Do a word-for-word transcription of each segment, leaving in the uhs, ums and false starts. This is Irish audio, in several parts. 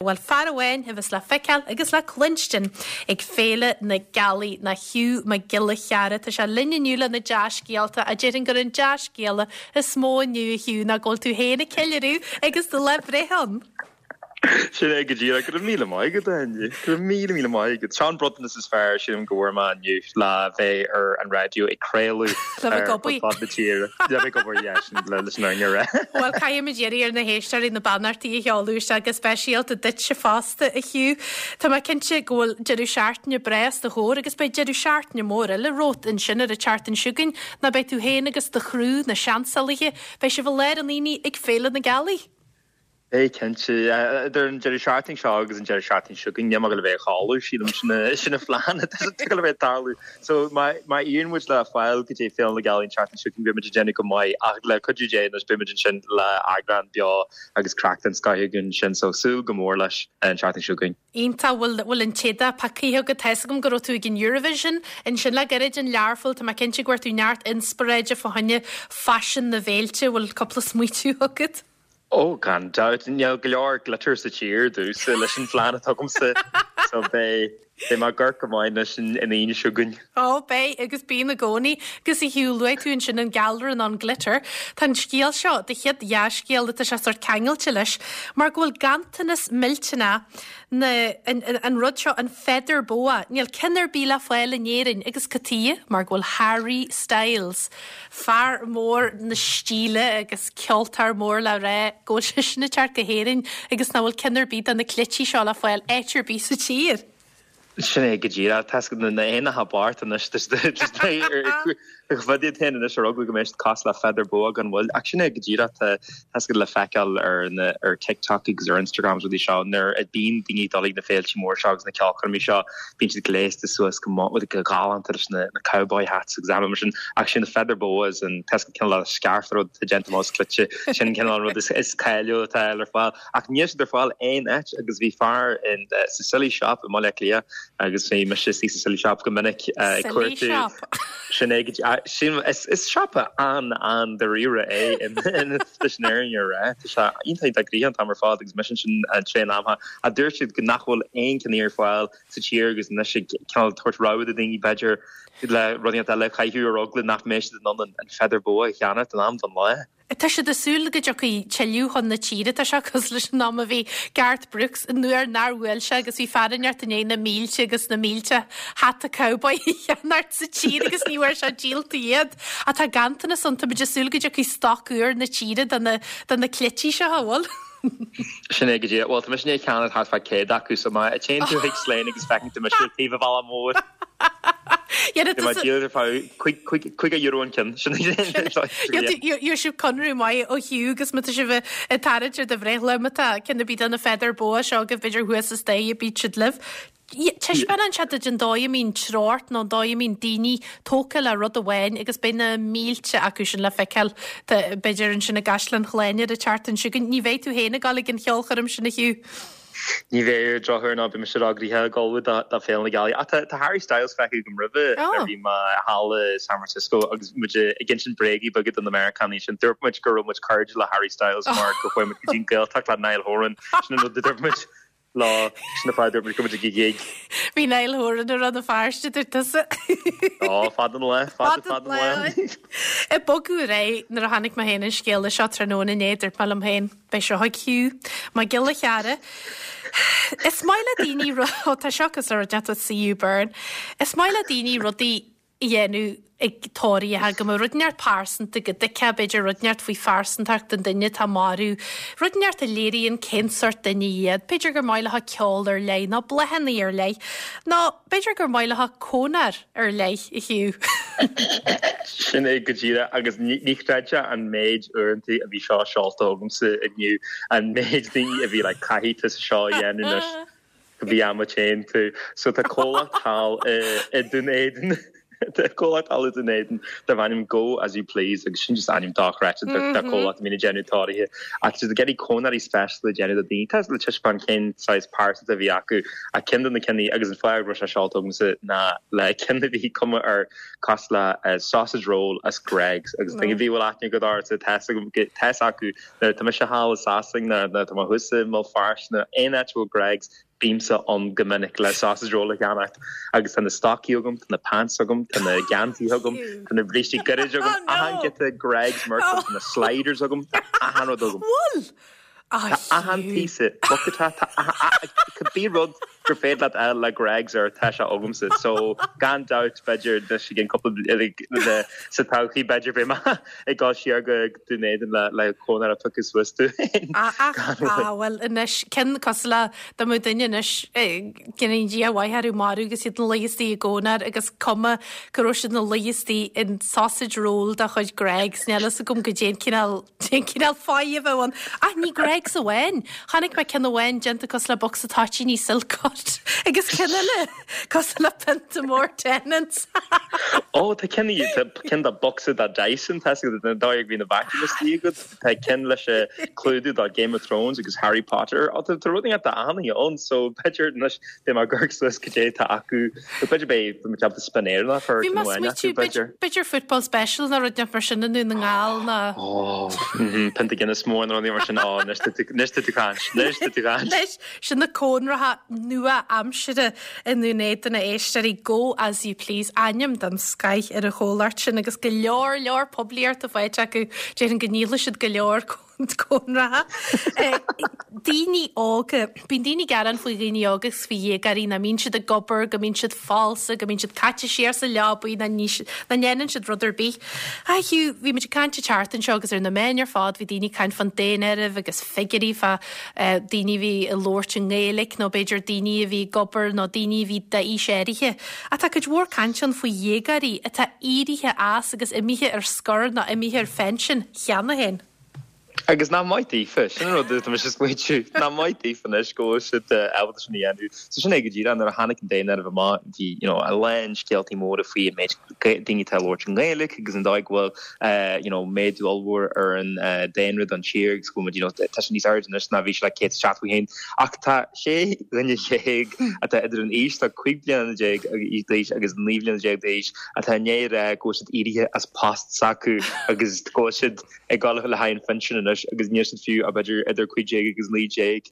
Bhuel, fear amháin a bheas le feiceáil agus le cluinstin ag Féile na Gealaí ná Hugh Mac Giolla Chearra. Tá sé linn inniu le na dea-scéalta a déarfainn gur an dea-scéala is mó inniu a Hugh ná go bhfuil tú féin ag ceiliúradh agus do lá breithe ann. Sin é go díreach go raibh míle maith agat Áine. Go raibh míle míle maith agat. Seo an bronntanas is fearr sílim go bhfuair mé inniu le bheith ar an raidió ag craoladh Le bheith ag obair. fud na tíre. Le bheith ag obair yeah, sin le leis an fhírinne a rá. Bhuel caithfimid iarraidh ar na héisteoirí na beannachtaí a sheoladh isteach go speisialta duitse fosta a Hugh. Tá mé cinnte go bhfuil deireadh seachtaine breá os do chomhair agus beidh deireadh seachtaine mór eile romhat ansin ar an tseachtain seo chugainn ná beidh tú féin agus do chriú na Seansálaithe, beidh sibh i lár an aonaigh ag Féile na Gealaí. Beidh cinnte idir an deireadh seachtaine seo agus an deireadh seachtaine seo chugainn níl mé ag gabháil a bheith ag codladh sílim sin sin an phlean atá ag gabháil a bheith ag tarlú. So má má éiríonn muid le fáil go dtí Féile na Gealaí an tseachtain seo chugainn beidh muid ag déanamh go maith ach le cuidiú Dé anois beidh muid ansin le eagrán beo agus craic den scoth againn sin so súil go mór leis an tseachtain seo chugainn. Iontach bhfuil bhfuil an t-éadach pacaithe agat tá a fhios agam go raibh tú ag an Eurovision ansin le gairid in Learpholl tá mé cinnte go bhfuair tú neart inspioráide fá choinne faisean na bhféilte bhfuil cúpla smaoitiú agat. Ó gan dabht níl go leor glitter sa tír domhsa leis an phlean atá agamsa so beidh beidh mé ag amharc go maith anois an Aoine seo chugainn. Ó beidh agus bíonn i gcónaí agus a Hugh luaigh tú ansin an gealra nó an glitter. Tá an scéal seo do chéad dhea-scéal atá sé sort ceangailte leis mar go bhfuil ganntanas millteanach na an, an, an rud seo an feather boa níl ceann ar bith le fáil in Éirinn agus cad chuige mar go bhfuil Harry Styles fear mór na stíle agus ceoltóir mór le rá go bhfuil sé sin ag teacht go hÉirinn agus nach bhfuil ceann ar bith de na cleití seo le fáil áit ar bith sa tír. Sin é go díreach tá na éanacha bochta anois bhdiad féin anois ar eagla go mbeidh cás le feather boa gan bhfuil ach sin é go díreach tá le feiceáil ar ar TikTok agus ar Instagram rudaí seo nuair a bhíonn daoine ag dul na féilte mór seo agus na ceolchoirmí seo bíonn siad gléasta suas go go galánta leis na na cowboy hats agus mar sin ach sin na feather boas an tá cineál le scarf rud déanta as cleite sin cineál rud is is cáiliúil atá ar fáil ach níl siad ar fáil aon áit agus bhí fear in uh, sa Silly Shop i Mbaile Átha Cliath agus bhí mise sa Silly Shop go minic uh, cuartú sin é sin is is siopa an an dáiríre é leis an fhírinne a rá sé iontach grí an t-am ar fad agus mise sin an tréan amha a dúirt siad go nach bhfuil aon ceann ar fáil sa tír agus anois cineál tabhairt rabhadh do daoine b'fhéidir le rudaí eile caiú ar eagla nach mbeidh siad in ann an feather boa a cheannach an am don lá. Tá siad ag súil go dtiocfaidh tuilleadh chun na tíre tá sé cosúil leis an am a bhí Garth Brooks nuair nár bhuail sé agus bhí fear inteacht in na mílte agus na mílte hata cowboy cheannacht sa tír agus ní bhfuair sé díolta iad. A tá ganntanas ann tá súil go dtiocfaidh stoc úr na tíre de na de na cleití seo bhfuil. Sin é go dtí well tá mise ag ceannach thart fá céad acu so má téann tú chuig Slane agus feiceann tú mise taobh an bhalla mór. díol cúig euro an ceann sibh conradh maith ó Hugh agus má tá sibh ag tarraingt ar do bhreithlá má tá ceann ar bith de na feather boa seo go b'fhéidir thuas is dé bíd siad libh. Taispeánann sé duit an dóigh a mbíonn treocht nó an dóigh a mbíonn daoine tógtha le rud amháin agus beidh na mílte acu sin le feiceáil b'fhéidir ansin i gCaisleán Shláine an tseachtain seo chugainn. Ní bheidh tú féin ag dul ag an cheolchoirm sin a Hugh. Ní bheidh drochuair ná bhí mise eagraithe ag dul do Féile na Gealaí. Tá Harry Styles feicthe agam roimhe oh. bhí mé thall i San Francisco agus muid ag insint bréagaí beaga do na Meiriceánaigh sin dúirt muid go raibh muid cairde le Harry Styles mar go chuaigh muid go dtí Gaeltacht le Niall Horan sin an rud a dúirt muid lá sin na fáidir go muid ag gig. Bhí Niall Horan ar an feirste dúirt tusa. Á fad an le fad fad an le. I bogadh ré nuair a tháinig mé féin an scéal seo tráthnóna inné dúirt mé liom féin beidh seo ag Hugh Mac Giolla Chearra. Is maith le daoine tá seo cos ar deata CU Burn. Is maith le daoine rudaí a dhéanamh ag tóraithe go mbeadh rud inteacht pearsanta go dtuigfeá b'fhéidir rud inteacht faoi phearsantacht an duine atá marbh, rud inteacht a léiríonn cén sórt duine iad, b'fhéidir gur maith leo ceol ar leith nó bláthanna ar leith, nó b'fhéidir gur maith leo cónair ar leith a Hugh. Sin é go díreach agus ní chreidfeá an méid uaireanta a bhí seo seolta agamsa inniu an méid daoine a bhí le caithfidh tú seo a dhéanamh anois go bhí am téann tú. So tá comhlacht thall i Dún Éideann Tá comhlacht thall i nDún Éideann darb ainm Go As You Please agus sin just ainm dochreidte do comhlacht a bhíonn ag déanamh táirgí ach tá siad ag iarraidh cónairí speisialta a dhéanamh do daoine tá le taispeáint cén saghas pearsanta a bhí acu ach ceann de na cinn agus an fáth go raibh sé seolta agamsa ná le ceann a bhí cuma air cosúil le sausage roll as Greggs agus duine a bhí bhfuil aithne agat ortsa tá fhios acu nuair tá mise thall i Sasana nó tá mé thuas i mBéal Feirste nó aon áit a bhfuil Greggs bímse ann go minic le sausage roll a cheannacht agus tá na stocaí agam, tá na pants agam, tá na geansaithe agam, tá na brístí gairid agam, Oh no! achan giota Greggs merch agam, tá na sliders agam, tá achan rud agam. Bhfuil? Tá achan píosa bucket tá cibé rud gur féidir leat fháil le Greggs air tá sé agamsa so gan dabht b'fhéidir de sé gin cúpla le sa todhchaí b'fhéidir beidh mé ag dul siar go Dún Éideann le le cónair a phiocadh suas dom. Ah ah bhuel anois cinn cosúil le dá mbeadh duine anois go ndéana Dia a mhaith orthu marú agus iad ina luí istigh i gcónair agus cuma go raibh siad ina luí istigh in sausage roll de chuid Greggs níl fhios agam goidé an cineál an cineál fáidh a bheadh ann. Ach ní Greggs amháin. Chonaic mé ceann amháin déanta cosúil le bocsa toitíní Silcot agus ceann eile cosúil le pionta mór Tennent's. Ó tá ceann tá ceann de bocsa de Dyson tá na dóigh bhí na vacuum istigh agat tá ceann leis an clúdach de Game of Thrones agus Harry Potter Ó tá tá rudaí at anna ann so b'fhéidir anois beidh mé ag amharc suas goidé tá acu b'fhéidir beidh mé ceaptha spinéir nach Bhí mé smaoitiú b'fhéidir b'fhéidir football special nó rud mar sin i nDún na nGall ná. Ó pionta Guinness mór nó rudaí mar sin á anois tá tú anois tá tú caint anois tá tú caint. Anois sin na cónracha nua aimsire i nDún Éideann a éisteoirí Go As You Please ainm den scoth ar an chomhlacht sin agus go leor leor poiblíochta faighte acu déarfainn go ndíolfaidh siad go leor cónracha. Daoine óga Bíonn daoine ag gearán faoi dhaoine óga agus faoi dhéagóirí nach mbíonn siad ag obair, go mbíonn siad falsa, go mbíonn siad caite siar sa leabaidh, nach ndéanann siad rud ar bith. Ah Hugh, bhí muid ag caint an tseachtain seo agus ar na meáin ar fad bhí daoine ag caint fán daonáireamh agus figiúirí fá daoine a bhí ag labhairt i nGaeilge nó b'fhéidir daoine a bhí ag obair nó daoine a bhí d'aois áirithe. Ach tá cuid mhór caint ann faoi dhéagóirí atá éirithe as agus imithe ar scor nó imithe ar phension cheana féin. Agus nach maith daofa, sin an rud atá mise ag smaointiú, nach maith daofa anois go bhfuil siad ábalta sin a dhéanamh. So sin é go díreach nuair a tháinig an daonáireamh amach bhí you know, a lán scéaltaí móra faoi an méid daoine atá ag labhairt i nGaeilge agus an dóigh go bhfuil you know, méadú ollmhór ar an daonra don tír agus go bhfuil you know, tá sé níos airde anois ná bhí sé le céad is seachtó a haon. Ach tá sé dhuine déag atá idir an aois tá cúig bliana déag d'aois agus naoi bliana déag d'aois atá i ndiaidh a rá go bhfuil siad éirithe as post s'acu agus go bhfuil siad ag dul le haghaidh an phinsin anois agus níl siad fiú a b'fhéidir idir cúig déag agus naoi déag.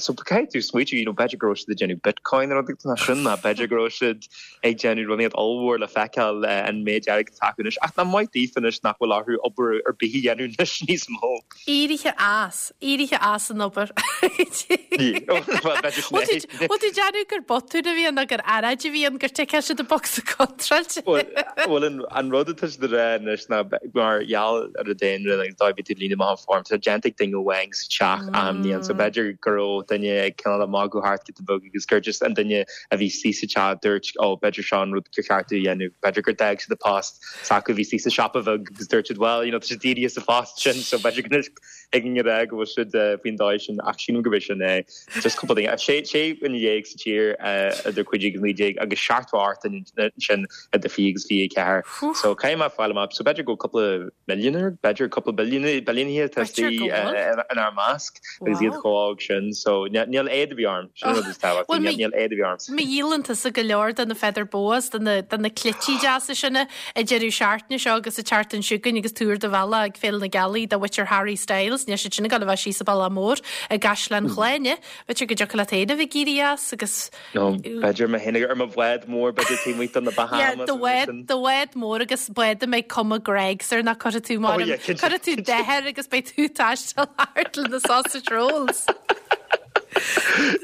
So caithfidh tú smaoitiú you know, b'fhéidir go raibh siad ag déanamh Bitcoin nó rud sin ná b'fhéidir go raibh siad ag déanamh rudaí ollmhór le feiceáil an méid airgid atá acu anois ach nach maith daofa anois nach bhfuil orthu obair ar bith a dhéanamh anois níos mó. Éirithe as, éirithe as an obair. Bhfuil tú déanamh gur botún a bhí ann nó gur earráid a bhí ann gur ticeáil siad an bocsa contráilte. Bhuel an rud atá siad ag rá anois ná mar gheall ar an daonra agus dá bhí tú líonadh amach an form tá déanta ag duine amháin sa teach achan bhliain so b'fhéidir go raibh duine ag cineál ag magadh thart giota beag agus gur just an duine a bhí istigh sa teach dúirt ó b'fhéidir seo an rud gur cheart dúinn a dhéanamh b'fhéidir gur d'fhág siad a post s'acu bhí istigh sa siopa bheag agus dúirt siad well you know tá siad éirithe as a phost sin so b'fhéidir go ag an rá go bhfuil siad faoin dóigh sin ach sílim go bhfuil sin é just cúpla duine sé sé dhuine dhéag sa tír idir cúig déag agus naoi déag agus seachtó ocht sin idir fiche agus fiche ceathair so caithfidh mé fáil amach so b'fhéidir go cúpla millionaire b'fhéidir cúpla billiún billiúnaithe tá istigh inár measc agus iad chomh óg sin so níl éad a bhí orm sin rud is tábhachtaí níl éad a bhí orm. Má dhíolann tusa go leor de na feather boas de na de na cleití deasa sin an deireadh seachtaine seo agus an tseachtain seo chugainn agus tú ar do bhealach ag Féile na Gealaí do mhuintir Harry Styles níl siad sin ag dul a bheith síos sa Bhaile Mór i gCaisleán Shláine B'fhéidir go dtiocfadh leat féin a bheith ag éirí as agus No b'fhéidir mé féin ar mo bhád mór b'fhéidir taobh amuigh de na Yeah, Bahamas do bhád do bhád mór agus bád a mbeidh cuma Greggs air nach cuirfidh tú Oh yeah, cinnte. cuirfidh tú dath air agus beidh tú ag taisteal thart le na sausage rolls.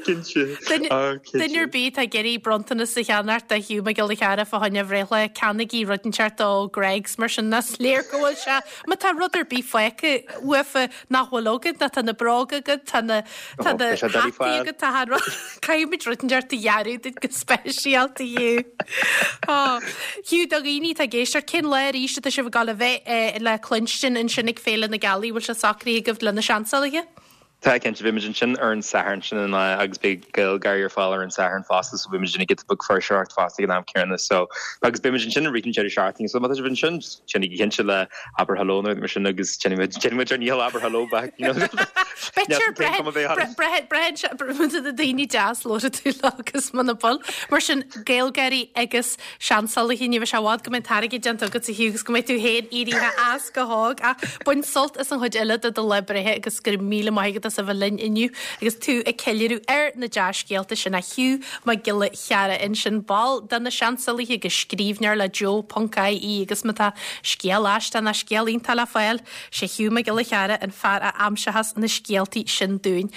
Cinnte. Duine Ah, cinnte. duine ar bith atá ag iarraidh bronntanas a cheannacht do Hugh Mac Giolla Chearra fá choinne a bhreithlá ceannaígí rud inteacht ó Greggs mar sin is léir go bhfuil sé má tá rud ar bith fágtha uafa nach bhfuil agat ná tá na bróga agat tá na tá Oh, na beidh sé doiligh hataí fáil. agat tá rud caithfimid rud inteacht a dhearadh duit go speisialta Hugh. Oh, Hugh do dhaoine atá ag éisteacht cén lá arís atá sibh ag dul a bheith eh, le cluinstin ansin ag Féile na Gealaí bhfuil sé socraithe agaibh le na seansálaithe? Tá cinnte beimid ansin ar an Satharn sin an lá agus beidh GaelGáirí ar fáil ar an Satharn fosta so beimid ag giota beag fuirseoireacht fosta ag an am céanna so agus beimid ansin i rith an deireadh seachtaine so má tá sibh ansin déanaigí cinnte le abair hello nó mar sin agus déanfaimid déanfaimid ár ndícheall abair hello back you know. B'fhéidir breithe na daoine deas labhróidh tú leo agus muna bhfuil mar sin GaelGáirí agus Seansálaithe ní bheidh sé i bhfad go mbeidh an t-airgead déanta agat a Hugh agus go mbeidh tú féin éirithe as go hóg ach bain sult as an chuid eile de do lá breithe agus go raibh míle maith agat as a bheith linn inniu agus tú ag ceiliúradh ar na dea-scéalta sin a Hugh Mac Giolla Chearra ansin ball de na Seansálaithe agus scríbhneoir le Joe ponc IE agus má tá scéal aisteach nó scéal iontach le fáil sé Hugh Mac Giolla Chearra an fear a aimseochas na scéaltaí sin dúinn.